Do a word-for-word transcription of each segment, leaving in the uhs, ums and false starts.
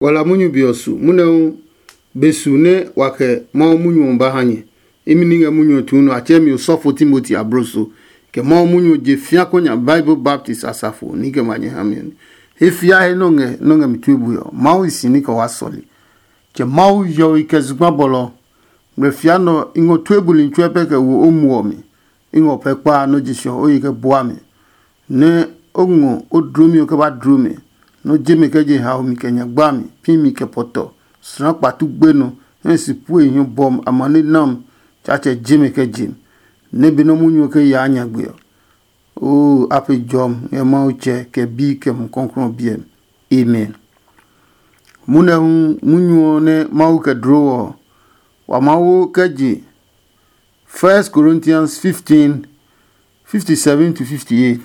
Wala munyu be ɔ su, munɛ hu be su nɛ wa kɛ Mawu munyu ɔ ba ha nyɛ. Imi ní ngɛ munyu ɔ tuu nɔ, a tsɛɛ mi osɔfo Timoti abloso, kɛ Mawu munyu ɔ je fĩa kɔ nya Bible Baptist asafo ní kɛ ma nyɛ ha mi ɔ. He fia he nɔ ngɛ nɔ ngɛ mi tue bue ɔ, Mawu hi si ní kɛ waa sɔle. Tsɛ Mawu hiɔwe kɛ zugba bɔlɔ. Ngmlɛ fia nɔ i ngɔ tue buli tsuɛ pɛ kɛ wo o muɔ mi. I ngɔ pɛ kpaa nɔ je sɔ o yi kɛ bua mi. Nɛ o ngɔ o dlomi ɔ kɛ ba dlo mi, nɔ je mi kɛ je haomi kɛ nyagba mi, pi mi kɛ pɔtɔ, sra kpatu gbenɔ, hɛ si pue hiɔ bɔm amane nam, Tsaatsɛ je mi kɛ je mi, nɛ be nɔ́ munyu ɔ kɛ yaa nyagbe ɔ. Oo, a pe jɔmi ngɛ Mawu Tsɛ kɛ Bi kɛ Mumi Klɔuklɔu ɔ biɛ mi. Amen. Munɛ hu munyu ɔ nɛ Mawu kɛ dloo ɔ, wa Mawu kɛ je First Corinthians fifteen, fifty seven to fifty eight.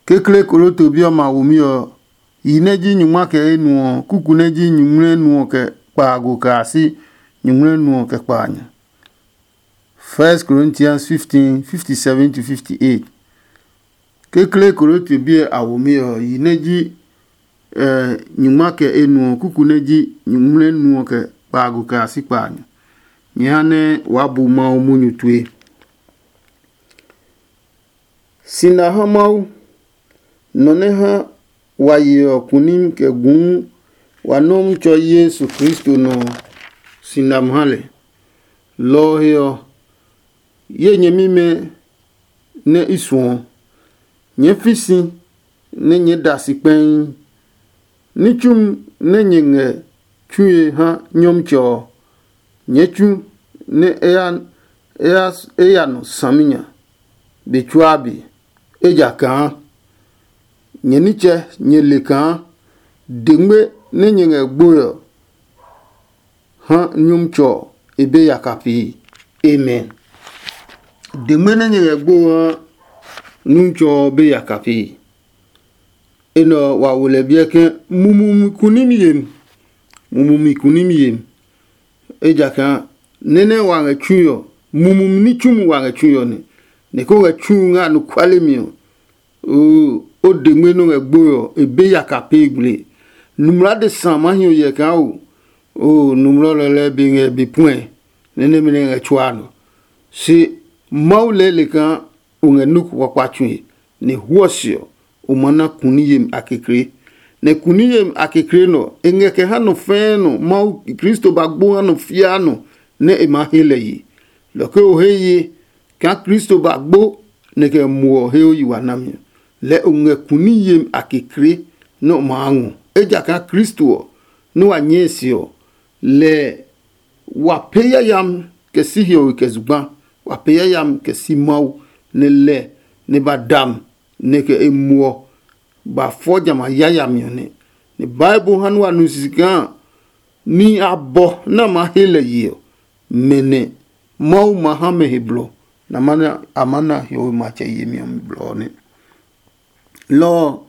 Kekle Korinto bi ɔmɛ a womi ɔ, yi nɛ ji nyungma kɛ enu ɔ, kuku nɛ ji nyuŋmlɛ nu ɔ kɛ kpaago kɛ a si nyuŋmlɛ nu ɔ kɛ kpaanyɔ. First Corinthians fifteen, fifty seven to fifty eight. Kekle Korinto bi ɛ a womi ɔ, yi nɛ ji nyungma kɛ enu ɔ, kuku nɛ ji nyuŋmlɛ nu ɔ kɛ kpaago kɛ a si kpaanyɔ. Nyɛ ha nɛ waa bu Mawu munyu tue. Sina ha Mawu, nɔ nɛ ha wa yeɔ kunim kɛ guu wa Nɔmtsɔ Yesu Kristo nɔ ɔ, si nam ha lɛ. Lɔ ɔ he ɔ, ye nyɛmimɛ nɛ i suɔ, nyɛɛ fi si nɛ nyɛɛ da si kpɛii. Ní tsumi nɛ nyɛ ngɛ tsue ha Nyɔmtsɛ ɔ, nyɛɛ tsu nɛ e ya e ya e ya nɔ saminya be tsuaa be, ejakaa nyɛ nitsɛ nyɛ le kaa dengme nɛ nyɛ ngɛ gboe ɔ ha Nyɔmtsɛ ɔ e be yaka pee. Amen. Dengme nɛ nyɛ ngɛ gbo ha Nyɔmtsɛ ɔ be yaka pee. Enɛ ɔ wa wo lɛ biɛ ke mumumi kunimi yemi, mumumi kunimi yemi. Ejakaa nɛ́ nɛ wa ngɛ tsui ɔ, mumumi ní tsumi wa ngɛ tsui ɔ nɛ, nɛ ko ngɛ tsu ngɛ anɔkuale mi ɔ, oo, o dengme nɔ ngɛ gboe ɔ, e be yaka pee gble. Numla adesa ma hi o yɛ kaa o, oo, numlɔ lɛlɛ be ngɛ be puɛ, nɛ nɛmɛ nɛ ngɛ tsuaa nɔ. Se Mawu lɛɛ le kaa o ngɛ nɔ́ ko kpakpa tsue, nɛ huɔ se ɔ, o ma na kuni yemi a kekle. Nɛ kuni yemi a kekle nɔ, e ngɛ kɛ ha nɔ fɛɛ nɔ Mawu Kristo ba gbo ha nɔ fiaa nɔ nɛ e maa he lɛ ye. Lɔ ke o he ye kaa Kristo ba gbo nɛ kɛ muɔ he o yi wa nami ɔ, lɛɛ o ngɛ kuni yemi a kekle nɛ o maa ngɔ. Ejakaa Kristo ɔ, nɛ wa nyɛɛ se ɔ, lɛ wa pee yayami kɛ si hiɔwe kɛ zugba, wa pee yayami kɛ si Mawu, nɛ lɛ nɛ ba da mi nɛ kɛ e muɔ ba fɔ jamɛ a yayami ɔ nɛ. Nɛ Bible ha nɛ wa nu sisi kaa nihi abɔ nɛ a maa he lɛ ye ɔ, mɛ nɛ Mawu ma ha mɛ he blɔ, nɛ a ma na hiɔwe matsɛ yemi ɔ mi blɔ ɔ nɛ. Lɔ ɔ,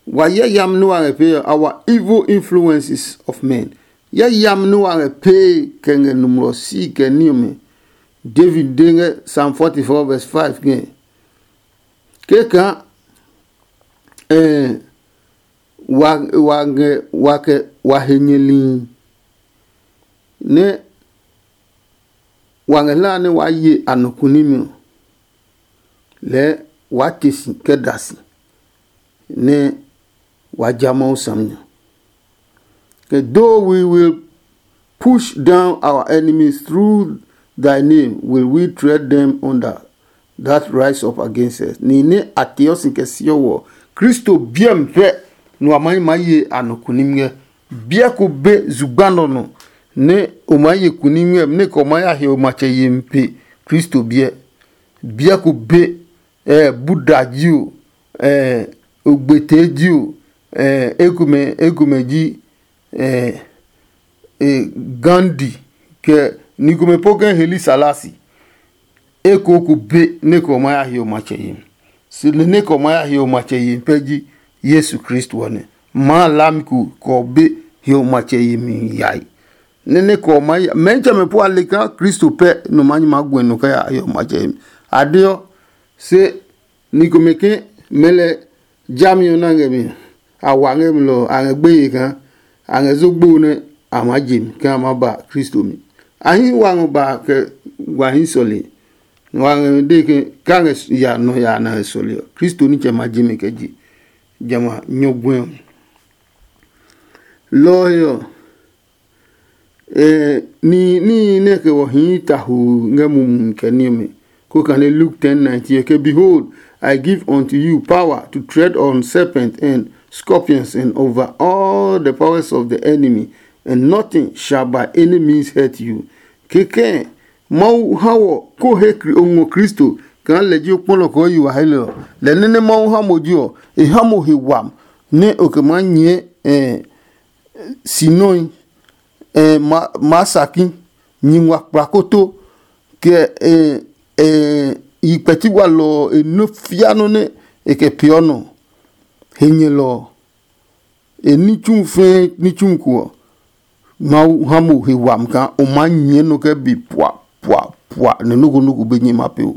wa yayami nɛ wa ngɛ pee ɔ, our evil influences of men. Yayami nɛ wa ngɛ pee kɛ ngɛ nɔmlɔ si kɛ ní ɔmɛ. David de ngɛ Psalm forty-four verse five ngɛ, keka eh, wa wa ngɛ wa kɛ wa he nyɛlihi nɛ wa ngɛ hlaa nɛ waa ye anɔku nimi ɔ, lɛɛ waa te si kɛ da si, nɛ waa ja Mawu saminya. Kɛ though we will push down our enemies through thy name, will we tread them under that rise up against us. Ni nɛ a teɔ si kɛ siɔ wɔ, Kristo biɛ mi pɛ nua ma yi ma ye anɔ kunim ngɛ. Biɛ ko be zugba nɔ nɔ nɛ o ma ye kunim ngɛ nɛ kɛ o ma ya he o matsɛ yemi pe Kristo biɛ. Biɛ ko be, eh, Buddha ji o, eh, ogbete ji o, eh, ekomɛ ekomɛ ji, eh, eh, Gandhi, kɛ ni komɛ po kɛ Heli Salasi. Eko ko be nɛ kɛ o ma ya he o matsɛ yemi. Se nɛ nɛ kɛ o ma ya he o matsɛ yemi pɛ ji Yesu Kristo ɔ nɛ. Ma lami ko kɛ o be he o matsɛ yemi yae. Nɛ nɛ kɛ o ma ya mɛntsɛmɛ po a le kaa Kristo pɛ nɔ ma nyi ma guɛ nɔ kɛ ya he o matsɛ yemi. A deɔ, se ni komɛ ke mɛɛ lɛ jami ɔ na ngɛ mi a wa ngɛ mi lɔ a ngɛ gbeye kaa a ngɛ zogbo nɛ a maa je mi ke a maa ba Kristo mi. A hii wa ngɔ ba kɛ wa hii sɔle. Wa ngɛ de ke ka ngɛ ya nɔ ya na ngɛ sɔle ɔ, Kristo nitsɛ ma je mi kɛ je jamɛ a nyɔguɛ ɔ. Lɔ ɔ he ɔ, eh, ni níhi nɛ kɛ wɔ hii tahu ngɛ mumi kɛ ní ɔmɛ. Ko kane Luke ten nineteen ke, "Behold, I give unto you power to tread on serpents and scorpions and over all the powers of the enemy, and nothing shall by any means hurt you." Kekɛ Mawu ha wɔ ko he o ngɔ Kristo kaa lɛ ji o kpɔlɔ kɔɔ yi wa he lɛ ɔ, lɛ nɛ nɛ Mawu ha mo ji ɔ, e ha mo he wam nɛ o kɛ maa nyɛɛ eh, si nɔe, eh, ma, maa saki, nyi ngua kplakoto, kɛ eh, eh, yi kpɛti walɔ ɔ e nɔ fia nɔ nɛ e kɛ peeɔ nɔ. He nyɛlɔ ɔ, e ní tsumu fɛɛ ní tsumu ko ɔ, Mawu ha mo he wami kaa o maa nyɛɛ nɔ kɛ be pua pua pua nɛ nɔ́ ko nɔ́ ko be nyɛ ma pee o.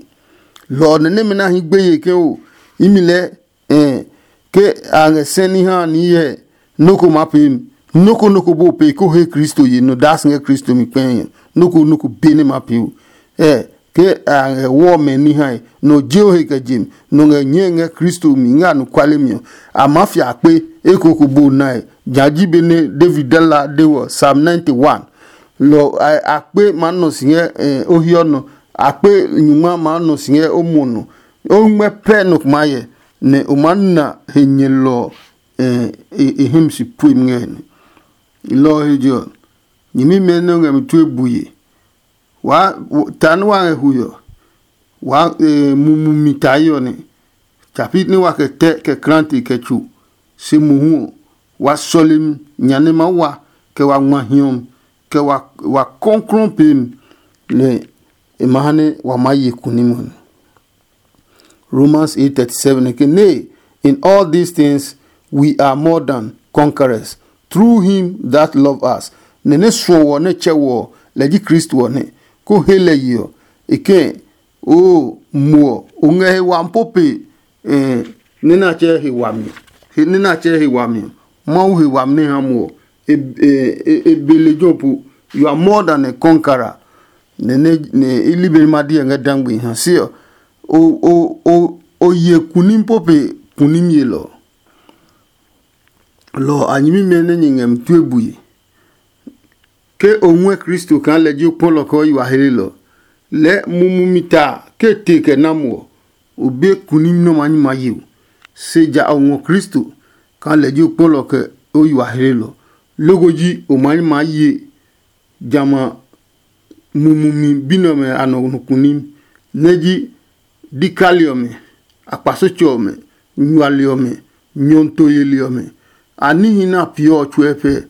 Lɔ ɔ nɛ nɛmɛ nɛ a hɛɛ gbeye ke o, imi lɛɛ eh, ke a ngɛ sɛ ní ha ní hyɛ nɔ́ ko maa pee mi. Nɔ́ ko nɔ́ ko bó pee ko he Kristo ye nɔ daa si ngɛ Kristo mi kpɛɛ nya. Nɔ́ ko nɔ́ ko be nɛ maa pee o. Eh, ke a ngɛ wɔ mɛ ní hae, nɔ je o he kɛ je mi, nɔ ngɛ nyɛɛ ngɛ Kristo mi ngɛ anɔkuale mi ɔ, a maa fia akpe eko ko bo nae. Ja ji benɛ David de la de wɔ Psalm ninety-one. Lɔ akpe maa nɔ si ngɛ eh, o hiɔ nɔ, akpe nyungma maa nɔ si ngɛ o muɔ nɔ. O ngmɛ pɛ nɔ kuma yɛ, nɛ o maa na he nyɛlɔ ɔ eh, e him si puemi ngɛ nɛ. Lɔ ɔ he je ɔ, nyɛmimɛ nɛ o ngɛ mi tue bue. Waa ta nɛ wa ngɛ hui ɔ, waa mumi mi ta hiɔ nɛ. Tsapi nɛ wa kɛ tɛ kɛ krante kɛ tso, se mohu ɔ, wa sɔlemi nya nɛ ma wa kɛ wa ngma hiɔmi kɛ wa kɔnklɔn peemi, nɛ e ma ha nɛ wa maa ye kuni mo. Romans eight thirty-seven ke, "Nay, in all these things we are more than conquerors through him that love us." Nɛ nɛ suɔ wɔ nɛ tsɛ wɔ ɔ, lɛ ji Kristo ɔ nɛ. Ko he lɛ ye ɔ, e kɛ̃, oo, muɔ o ngɛ he wami po pe nɛ na tsɛ he wami, nɛ na tsɛ he wami ɔ, Mawu he wami nɛ ha muɔ, e be lejɛ ɔ po. You are more than a conqueror. Nɛ nɛ i li be ma diɛ ngɛ dangbe ha se ɔ, o ye kunim po pe kunim yelɔ. Lɔ a nyɛmimɛ nɛ nyɛ ngɛ mi tue bue. Ke o ngɔɛ Kristo kaa lɛ ji o kpɔlɔ kɛ o yi wa helelɔ, lɛɛ mumi mi ta ke te kɛ na mo ɔ, o be kunim nɔ́ ma nyi ma ye o. Se ja o ngɔ Kristo kaa lɛ ji o kpɔlɔ kɛ o yi wa helelɔ. Loko ji o ma nyi ma ye jamɛ a mumi mi bi nɛ ɔmɛ a nɔ kunim, nɛ ji dikali ɔmɛ, akpasetsɛ ɔmɛ, nyuali ɔmɛ, nyɔnto yeli ɔmɛ. A níhi nɛ a peeɔ ɔ tsuɛ pɛ.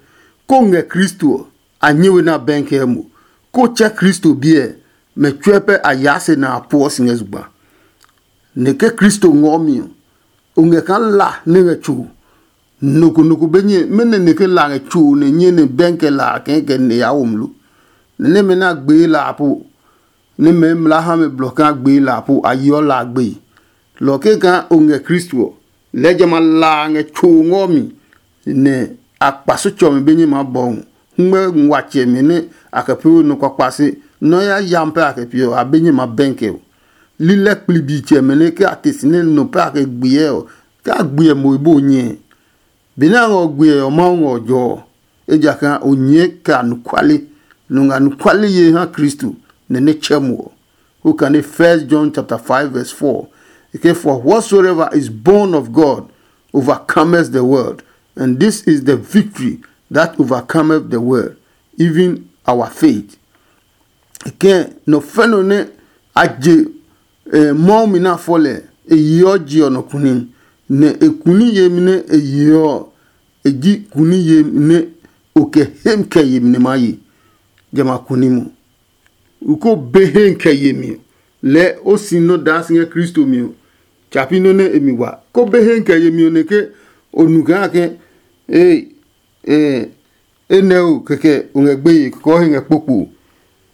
Ko ngɛ Kristo ɔ, a nyɛ we nɛ a bɛnkɛ mo. Ko tsɛ Kristo biɛ, mɛ tsuɛ pɛ a yaa se nɛ a puɔ si ngɛ zugba. Nɛ ke Kristo ngɔɔ mi ɔ, o ngɛ kaa la nɛ ngɛ tso. Nɔ ko nɔ ko be nyɛ mɛnɔ nɛ ke la ngɛ tso nɛ nyɛ nɛ bɛnkɛ la a kɛɛ kɛ nɛ ya wo mlo. Nɛ nɛmɛ nɛ a gbee la a po, nɛ mɛ mla ha mɛ blɔ kaa gbee la a po, a yeɔ la a gbeye. Lɔ kɛkaa o ngɛ Kristo ɔ, lɛɛ jamɛ a la a ngɛ tso ngɔ mi, nɛ a kpa so tsɔmi be nyɛ maa bɔ hu. Ngmɛ nguatsɛmɛ nɛ a kɛ pee we nɔ kpakpa se, nɔ ya yam pɛ a kɛ pee ɔ, a be nyɛ ma bɛnkɛ ɔ. Lilɛ kplibi tsɛmɛ nɛ ke a te si nɛ nɔ pɛ a kɛ gbiɛ ɔ, ke a gbiɛ mo e bo nyɛ. Benɛ a ngɔ gbiɛ ɔ, Mawu ngɔ jɔ ɔ, ejakaa o nyɛɛ kɛ anɔkuale, nɔ ngɛ anɔkuale ye ha Kristo, nɛ nɛ tsɛ mo ɔ. Who can read First John chapter five verse four? It says, "For whatsoever is born of God overcometh the world, and this is the victory that overcometh the world, even our faith." Kɛ nɔ fɛ nɔ nɛ a je Mawu mi nɛ a fɔ lɛ, e yeɔ je ɔ nɔ kuni, nɛ e kuni yemi nɛ e yeɔ ɔ, e ji kuni yemi nɛ o kɛ hem kɛ yemi nɛ maa ye. Jamɛ a kuni mo. U ko be he kɛ yemi ɔ, lɛɛ o si nɔ daa si ngɛ Kristo mi ɔ, tsa pi nɔ́ nɛ e mi wa. Ko be he kɛ yemi ɔ nɛ ke o nu kaa ke ee, ee, enɛ o kɛkɛ o ngɛ gbeye kɔɔ he ngɛ kpokpo.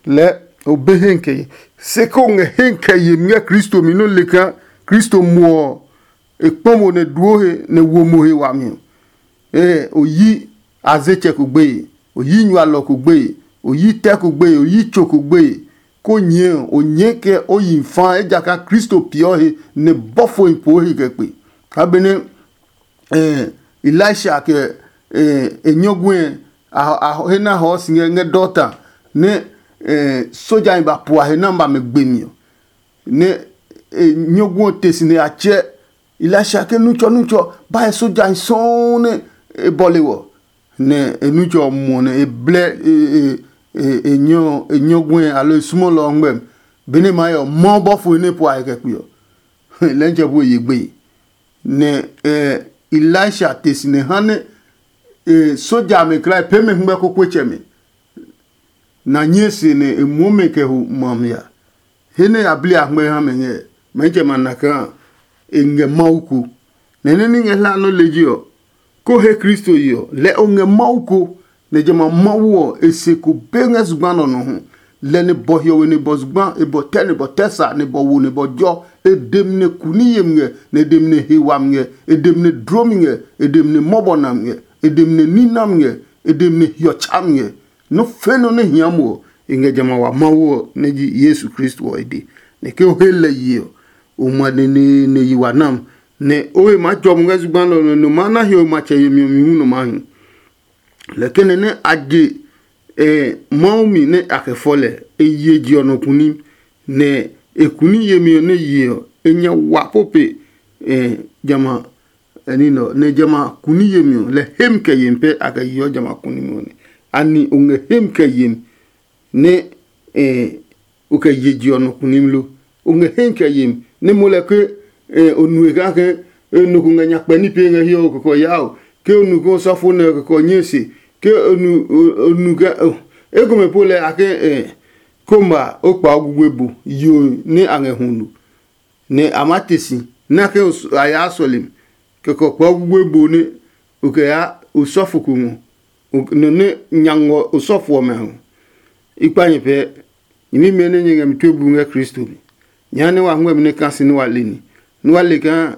Lɛɛ o be he kɛ ye. Se ko ngɛ he kɛ yemi ngɛ Kristo mi nɔ́ le kaa Kristo muɔ ɔ, e kpɔ mo nɛ duo he nɛ wo mo he wami ɔ, ee, o yi a ze tsɛ ko gbeye, o yi nyualɔ ko gbeye, o yi tɛ ko gbeye, o yi tso ko gbeye, ko nyɛɛ o nyɛɛ kɛ o yi fa, ejakaa Kristo peeɔ he nɛ bɔfohi poo he kɛ kpe. Kaa benɛ eh, Elisha kɛ eh, e nyɔguɛ a, a he na hɔɔ si ngɛ ngɛ Dotan nɛ eh, soja ba pua he na ba mɛ gbemi ɔ, nɛ eh, nyɔguɛ ɔ te si nɛ a tsɛ Elisha ke nutsɔ nutsɔ ba he soja sɔɔ nɛ e bɔle wɔ. Nɛ e nutsɔ ɔ muɔ nɛ e blɛ e e e e nyɔ e nyɔguɛ alo e sumɔlɔ ɔ ngmɛm. Benɛ ma yɔ mɔ bɔfo nɛ pua he kɛ kpe ɔ, lɛntsɛ bu e ye gbeye. Nɛ eh, Elisha te si nɛ ha nɛ eh, soja amɛ klaa pee mɛ hɛngmɛ kokoetsɛmɛ na nyɛɛ se nɛ e muɔ mɛ kɛ ho ma mi a. He nɛ a bli a hɛngmɛ ha mɛ ngɛ, mɛnitsɛ ma na kaa e ngɛ Mawu ko. Nɛ nɛ ní ngɛ hla nɔ́ lejɛ ɔ, ko he Kristo ye ɔ, lɛ o ngɛ Mawu ko, nɛ jamɛ a Mawu ɔ e se ko be ngɛ zugba nɛ ɔ nɔ hu. Lɛ nɛ bɔ hiɔwe nɛ bɔ zugba, e bɔ tɛ nɛ bɔ tɛ sa, nɛ bɔ wo nɛ bɔ jɔ. E dem nɛ kuni yemi ngɛ, nɛ e dem nɛ he wami ngɛ, e dem nɛ dlomi ngɛ, e dem nɛ mɔbɔ nami ngɛ, e dem nɛ ní nami ngɛ, e dem nɛ hiɔ tsami ngɛ. Nɔ́ fɛ̃ nɔ nɛ hia mo ɔ, e ngɛ jamɛ a wa Mawu ɔ nɛ ji Yesu Kristo ɔ e de. Nɛ ke o he lɛ ye ɔ, o ma neneene yi wa nam, nɛ o he maa jɔ mo ngɛ zugba nɛ ɔ nɔ nɔ maa na hiɔwe matsɛ yemi ɔ mi hu nɔ maa hi. Lɛ kɛnɛ nɛ a je eh, Mawu mi nɛ a kɛ fɔ lɛ, e ye je ɔ nɔ kunim, nɛ e kuni yemi ɔ nɛ ye ɔ, e nya wa po pe eh, jamɛ a ɛ ní nɛ ɔ, nɛ jamɛ a kuni yemi ɔ, lɛ hem kɛ yemi pɛ a kɛ yeɔ jamɛ a kunimi ɔ nɛ. Ani o ngɛ hem kɛ yemi nɛ eh, o kɛ ye je ɔ nɔ kunim lo? O ngɛ hem kɛ yemi nɛ mo lɛ ke eh, o nue kake eh, nɔ ko ngɛ nyakpɛ ní pee ngɛ hiɛ o kɔkɔ yaa o, ke o nu ke o sɔfo nɛ o kɔkɔ nyɛɛ se, ke o nu o- o nu kɛ oh, ekomɛ po lɛ a ke eh, komba o kpa o gugbe bu yo nɛ a ngɛ hu nu. Nɛ a maa te si nɛ ke a yaa sɔlemi, kɛkɛ ɔ kpɛɔ gugbe bo nɛ o kɛ yaa osɔfo ko ngɔ, nɔ nɛ nya ngɔ osɔfo ɔmɛ a ngɔ. I kpa nyɛ pɛɛ, nyɛmimɛ nɛ nyɛ ngɛ mi tue bu ngɛ Kristo mi. Nyɛ ha nɛ wa huɛ mi nɛ ka si nɛ wa le ni, nɛ wa le kaa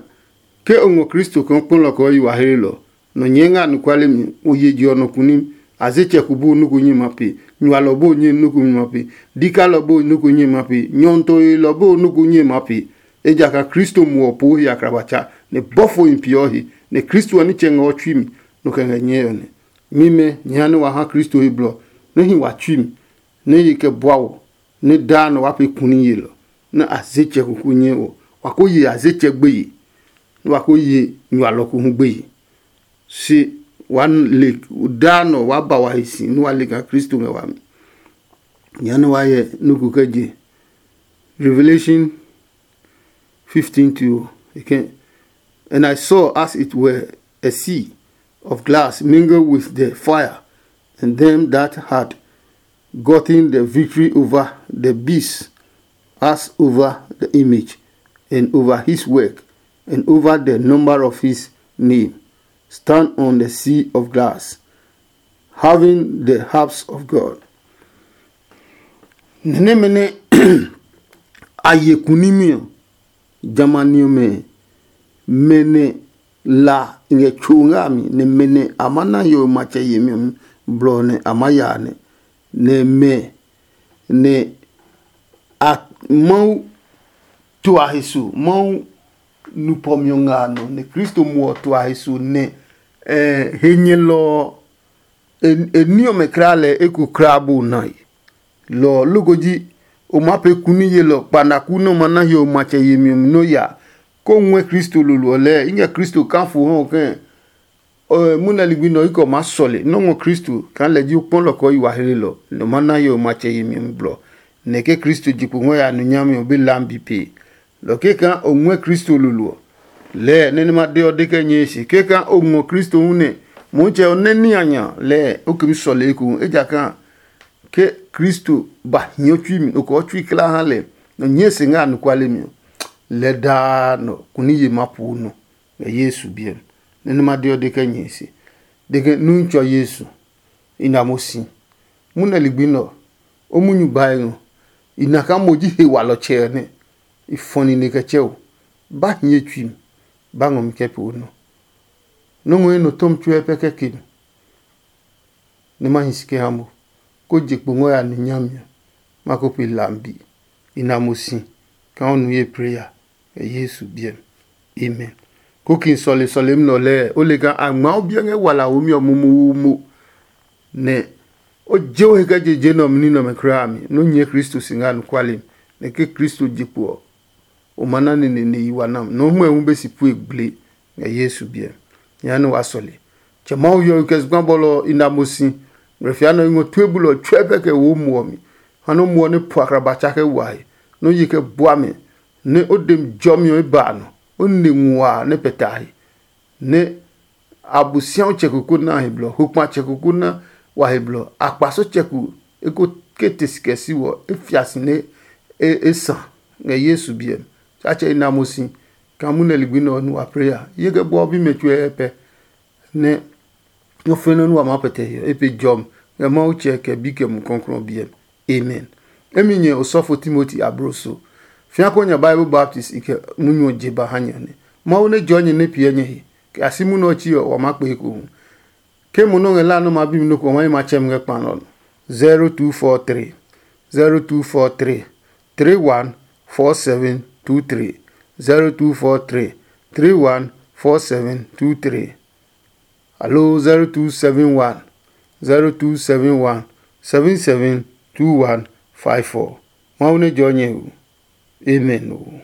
ke o ngɔ Kristo kaa kpɔlɔ kɛ o yi wa hlelɔ. Nɔ nyɛɛ ngɛ anɔkuale mi, o ye je ɔ nɔ kunim. Azetsɛ ko bu nɔ́ ko nyɛ ma pe, nyualɔ bu nyɛ nɔ́ ko nyɛ ma pe, dikalɔ bu nɔ́ ko nyɛ ma pe, nyɔntɔelɔ bu nɔ́ ko nyɛ ma pe. Ejakaa Kristo muɔ ɔ poo he akraba tsa, nɛ bɔfohi peeɔ he, nɛ Kristo ɔ nitsɛ ngɛ ɔ tsui mi, nɔ kɛ ngɛ nyɛɛ ɔ nɛ. Mimɛ, nyɛ ha nɛ wa ha Kristo he blɔ, nɛ hi wa tsui mi, nɛ ye kɛ bua wɔ, nɛ daa nɔ wa pee kuni yelɔ, nɛ azetsɛ ko ko nyɛ ɔ, wa ko ye azetsɛ gbeye, nɛ wa ko ye nyualɔ ko hu gbeye. Se wa le daa nɔ wa ba wa he si nɛ wa le kaa Kristo ngɛ wami. Nya nɛ wa hyɛ nɔ́ ko kɛ je Revelation fifteen to e kɛ. And I saw as it were a sea of glass mingled with the fire, and them that had gotten the victory over the beast, as over the image, and over his work, and over the number of his name, stand on the sea of glass, having the harps of God. Nɛ nɛmɛ nɛ a ye kunimi ɔ, jamani ɔmɛ, mɛ nɛ la ngɛ tso ngɛ a mi, nɛ mɛ nɛ a ma na hiɔwe matsɛ yemi ɔ mi blɔ nɛ a ma ya a nɛ, nɛ mɛ nɛ a Mawu to a he so, Mawu nupɔmi ɔ nga a nɔ, nɛ Kristo mo ɔ to a he so, nɛ eh, he nyɛlɔ ɔ, e ní ɔmɛ kra lɛ eko kra bo nae. Lɔ ɔ loko ji o maa pee kuni yelɔ kpanaku nɛ o ma na hiɔwe matsɛ yemi ɔ mi nɔ́ ya, kó o ngɔɛ Kristo lolo ɔ lɛɛ. I ngɛ Kristo kaa fo hɔ kɛ̃. Munɛ ligbi nɛ ɔ yi kɛ o maa sɔle nɔ́ ngɔ Kristo kaa lɛ ji o kpɔlɔ kɛ o yi wa hlelɔ, nɛ o ma na hiɔwe matsɛ yemi ɔ mi blɔ. Nɛ ke Kristo je kpo ngɔ ya nu nyami ɔ be lam bi pee. Lɔ keka o ngɔɛ Kristo lolo ɔ, lɛɛ nɛ nɛ ma de ɔ de kɛ nyɛe se keka o ngɔ Kristo hu nɛ Motsɛ ɔ nɛ ní a nya lɛɛ o kɛ mi sɔle ekohu, ejakaa ke Kristo ba hiɔ tsui mi, o kɛ ɔ tsui kla ha lɛ, nɔ nyɛe se ngɛ anɔkuale mi ɔ, lɛ daa nɔ kuni ye maa poo nɔ ngɛ Yesu biɛ mi. Nɛ nɛ ma de ɔ de kɛ nyɛe se, de ke, Nuitsɔ Yesu, i na mo si. Munɛ ligbi nɛ ɔ, o munyu bae ngɔ, i na kaa mo ji he walɔtsɛ ɔ nɛ i fɔ nine kɛ tsɛ o. Ba hiɛ tsui mi, ba ngɔ mi kɛ pee o nɔ. Nɔ́ ngɔ ye nɔ tɔmi tsuɛ pɛ kɛ ke mi. nɛ ma hi si kɛ ha mo, ko je kpo ngɔ ya ni nyami ɔ, ma ko pe lambi. I na mo si kaa o nu ye prayer ngɛ Yesu biɛ mi. Amen. Kokin sɔle sɔlemi nɛ ɔ lɛɛ, o le kaa a ngmaa o biɛ ngɛ walahomi ɔ momomo, nɛ o je o he kɛ je je nɛ ɔ mi ní nɛ ɔmɛ kulaa mi, nɛ o nyɛ Kristo si ngɛ anɔkuale mi, nɛ ke Kristo je kpo ɔ, o ma na neneene yi wa nam, nɛ o hmɔe hu be si pue gble ngɛ Yesu biɛ. Jehanɛ wa sɔle. Tsɛ Mawu hiɔwe kɛ zugba bɔlɔ ɔ i na mo si. Ngmlɛfia nɛ o ngɔ tue bulɔ ɔ tsuɛ pɛ kɛ wo muɔ mi. Ha nɛ o muɔ nɛ po akraba tsa kɛ wa he, nɛ o ye kɛ bua mɛ, nɛ o dem jɔmi ɔ e ba a nɔ, o ne nguaa nɛ pɛtɛ a he, nɛ Abosiaɔ tsɛ ko ko na he blɔ, hokpa tsɛ ko ko na wa he blɔ, akpaso tsɛ ko eko ke te si kɛ si wɔ, e fia si nɛ e e sa ngɛ Yesu biɛ mi. Tsatsɛ i na mo si kaa munɛ ligbi nɛ ɔ nu wa pray a, ye kɛ bua o bimɛ tsuɛ pɛ, nɛ nɔ́ fɛnɛ nɛ wa maa pɛtɛ he ɔ, e pe jɔmi ngɛ Mawu tsɛ kɛ bi kɛ Mumi Klɔuklɔu ɔ biɛ mi. Amen. Emi nyɛ osɔfo Timoti abloso, fĩa kɔ nya Bible baptist i kɛ munyu ɔ je ba ha nyɛ ɔ nɛ. Mawu nɛ jɔɔ nyɛ nɛ piɛ nyɛ he, kɛ a si munɛ ɔ tsi ɔ, wa maa kpe ekohu. Ke mo nɔ́ ngɛ la nɛ ma bi mi nɔ́ ko ɔ, ma yi ma tsɛ mi ngɛ kpa nɛ ɔ nɔ. zero two four three, zero two four three, three one four seven two three, zero two four three, three one four seven two three, aloo zero two seven one, zero two seven one, seven seven two one five four. Mawu nɛ jɔɔ nyɛ hu. Amen.